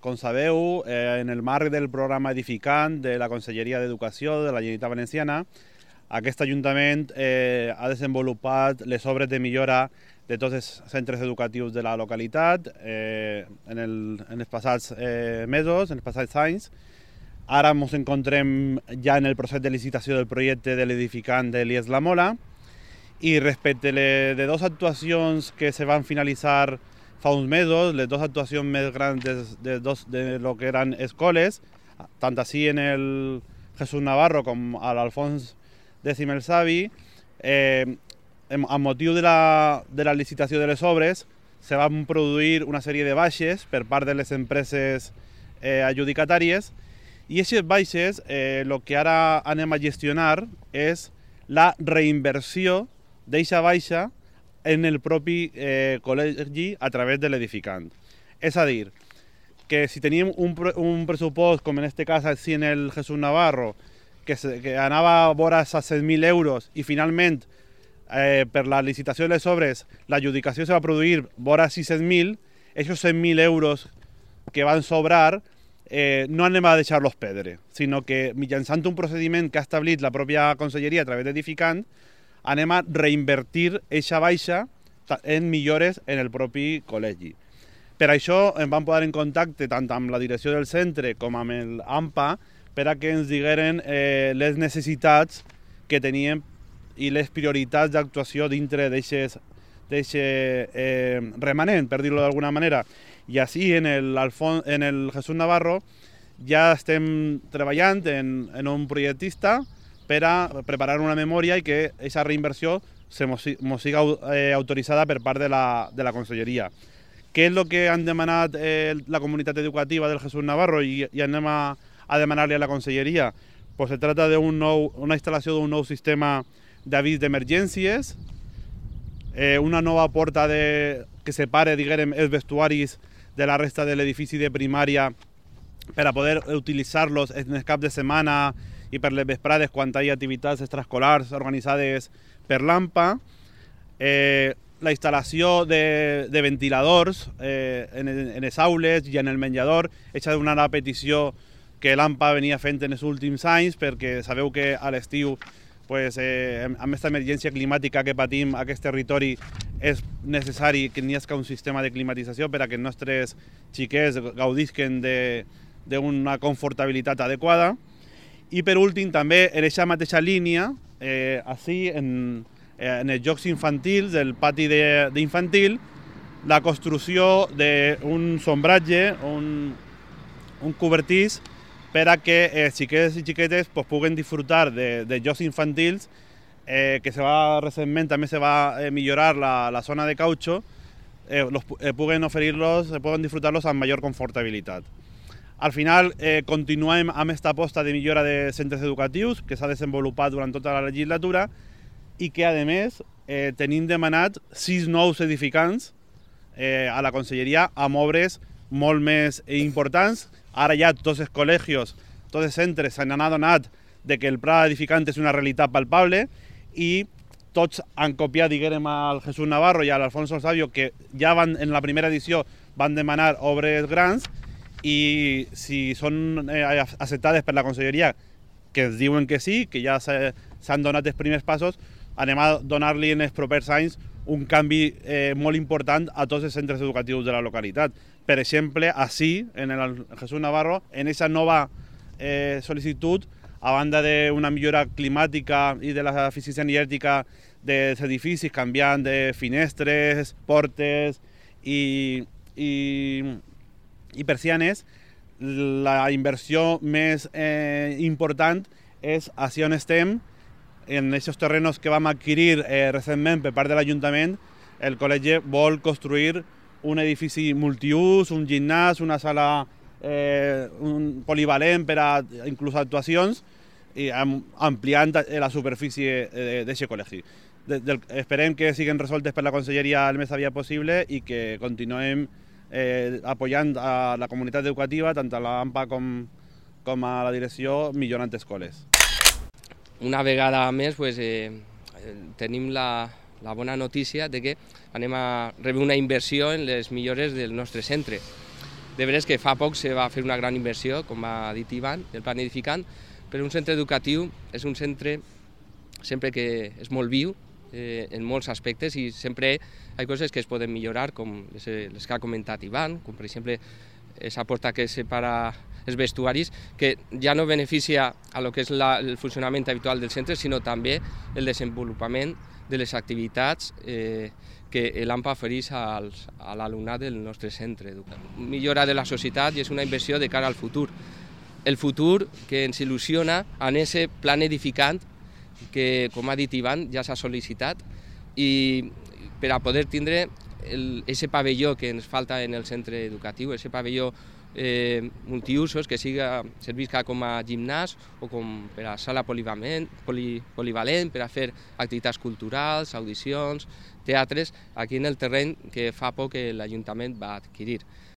com sabeu, en el marc del programa Edificant de la Conselleria d'Educació de la Generalitat Valenciana, aquest Ajuntament ha desenvolupat les obres de millora de tots els centres educatius de la localitat en els passats mesos, en els passats anys. Ara ens encontrem ja en el procés de licitació del projecte de l'Edificant de l'IES La Mola, i respecte de dues actuacions que se van finalitzar fa uns mesos, les dues actuacions més grans de lo que eren escoles, tant així en el Jesús Navarro com a l'Alfons X el Savi, amb motiu de la licitació de les obres, se van produir una sèrie de baixes per part de les empreses adjudicatàries, i aquestes baixes el que ara anem a gestionar és la reinversió d'eixa baixa en el propi col·legi a través de l'edificant. És a dir, que si teníem un pressupost, com en aquest cas així en el Jesús Navarro, que anava a vora els 7.000 euros i finalment per la licitació de les obres l'adjudicació se va produir vora 600.000, aquests 100.000 euros que van sobrar no anem a deixar-los perdre, sinó que mitjançant un procediment que ha establit la pròpia conselleria a través d'edificant, anem a reinvertir aquesta baixa en millores en el propi col·legi. Per això em vam posar en contacte tant amb la direcció del centre com amb l'AMPA per a que ens digueren les necessitats que teníem i les prioritats d'actuació dintre d'aquest remanent, per dir-ho d'alguna manera. I així en el Jesús Navarro ja estem treballant en un projectista per a preparar una memòria i que aquesta reinversió mos siga autoritzada per part de la Conselleria. Què és el que han demanat la comunitat educativa del Jesús Navarro i anem a demanar-li a la Conselleria? Pues se trata de una instal·lació d'un nou sistema d'avís d'emergències, una nova porta que separe, diguem, els vestuaris de la resta de l'edifici de primària per a poder utilitzar-los en el cap de setmana i per les vesprades quan hi ha activitats extraescolars organitzades per l'AMPA, la instal·lació de ventiladors en les aules i en el menjador, aquesta és una petició que l'AMPA venia fent en els últims anys, perquè sabeu que a l'estiu, amb aquesta emergència climàtica que patim a aquest territori, és necessari que n'hi hagi un sistema de climatització per a que els nostres xiquets gaudisquen d'una confortabilitat adequada. I per últim, també en aquesta mateixa línia, així en els jocs infantils, del pati d'infantil, la construcció d'un sombratge, un cobertís, per a que els xiquets i xiquetes puguen disfrutar de jocs infantils, que recentment també se va millorar la zona de cautxo, puguen disfrutar-los amb major confortabilitat. Al final, continuem amb aquesta aposta de millora de centres educatius que s'ha desenvolupat durant tota la legislatura i que, a més, tenim demanat 6 nous edificants a la Conselleria amb obres molt més importants. Ara ja tots els col·legis, tots els centres s'han adonat que el pla edificant és una realitat palpable i tots han copiat, diguem, al Jesús Navarro i a l'Alfons Sabio, que ja en la primera edició van demanar obres grans, i si són acceptades per la Conselleria, que ens diuen que sí, que ja s'han donat els primers passos, anem a donar-li en els propers anys un canvi molt important a tots els centres educatius de la localitat. Per exemple, així, en el Jesús Navarro, en aquesta nova sol·licitud, a banda d'una millora climàtica i de l'eficiència energètica dels edificis, canviant de finestres, portes i persianes, la inversió més important és així on estem, en aquests terrenos que vam adquirir recentment per part de l'Ajuntament. El col·legi vol construir un edifici multiús, un gimnàs, una sala polivalent per a inclús actuacions, i ampliant la superfície d'aquest col·legi. Esperem que siguin resoltes per la Conselleria el més aviat possible i que continuem apoyant a la comunitat educativa, tant a l'AMPA com a la direcció, millorant escoles. Una vegada més tenim la bona notícia de que anem a rebre una inversió en les millores del nostre centre. De veres que fa poc se va fer una gran inversió, com ha dit Ivan, del plan edificant, però un centre educatiu és un centre sempre que és molt viu en molts aspectes i sempre hi ha coses que es poden millorar, com les que ha comentat Ivan, com per exemple aquesta porta que separa els vestuaris, que ja no beneficia a lo que és el funcionament habitual del centre, sinó també el desenvolupament de les activitats que l'AMPA ofereix a l'alumnat del nostre centre. Millora de la societat i és una inversió de cara al futur. El futur que ens il·lusiona en aquest plan edificant que, com ha dit Ivan, ja s'ha sol·licitat i per a poder tindre aquest pavelló que ens falta en el centre educatiu, aquest pavelló multiusos que servisca com a gimnàs o com per a sala polivalent, per a fer activitats culturals, audicions, teatres, aquí en el terreny que fa poc l'Ajuntament va adquirir.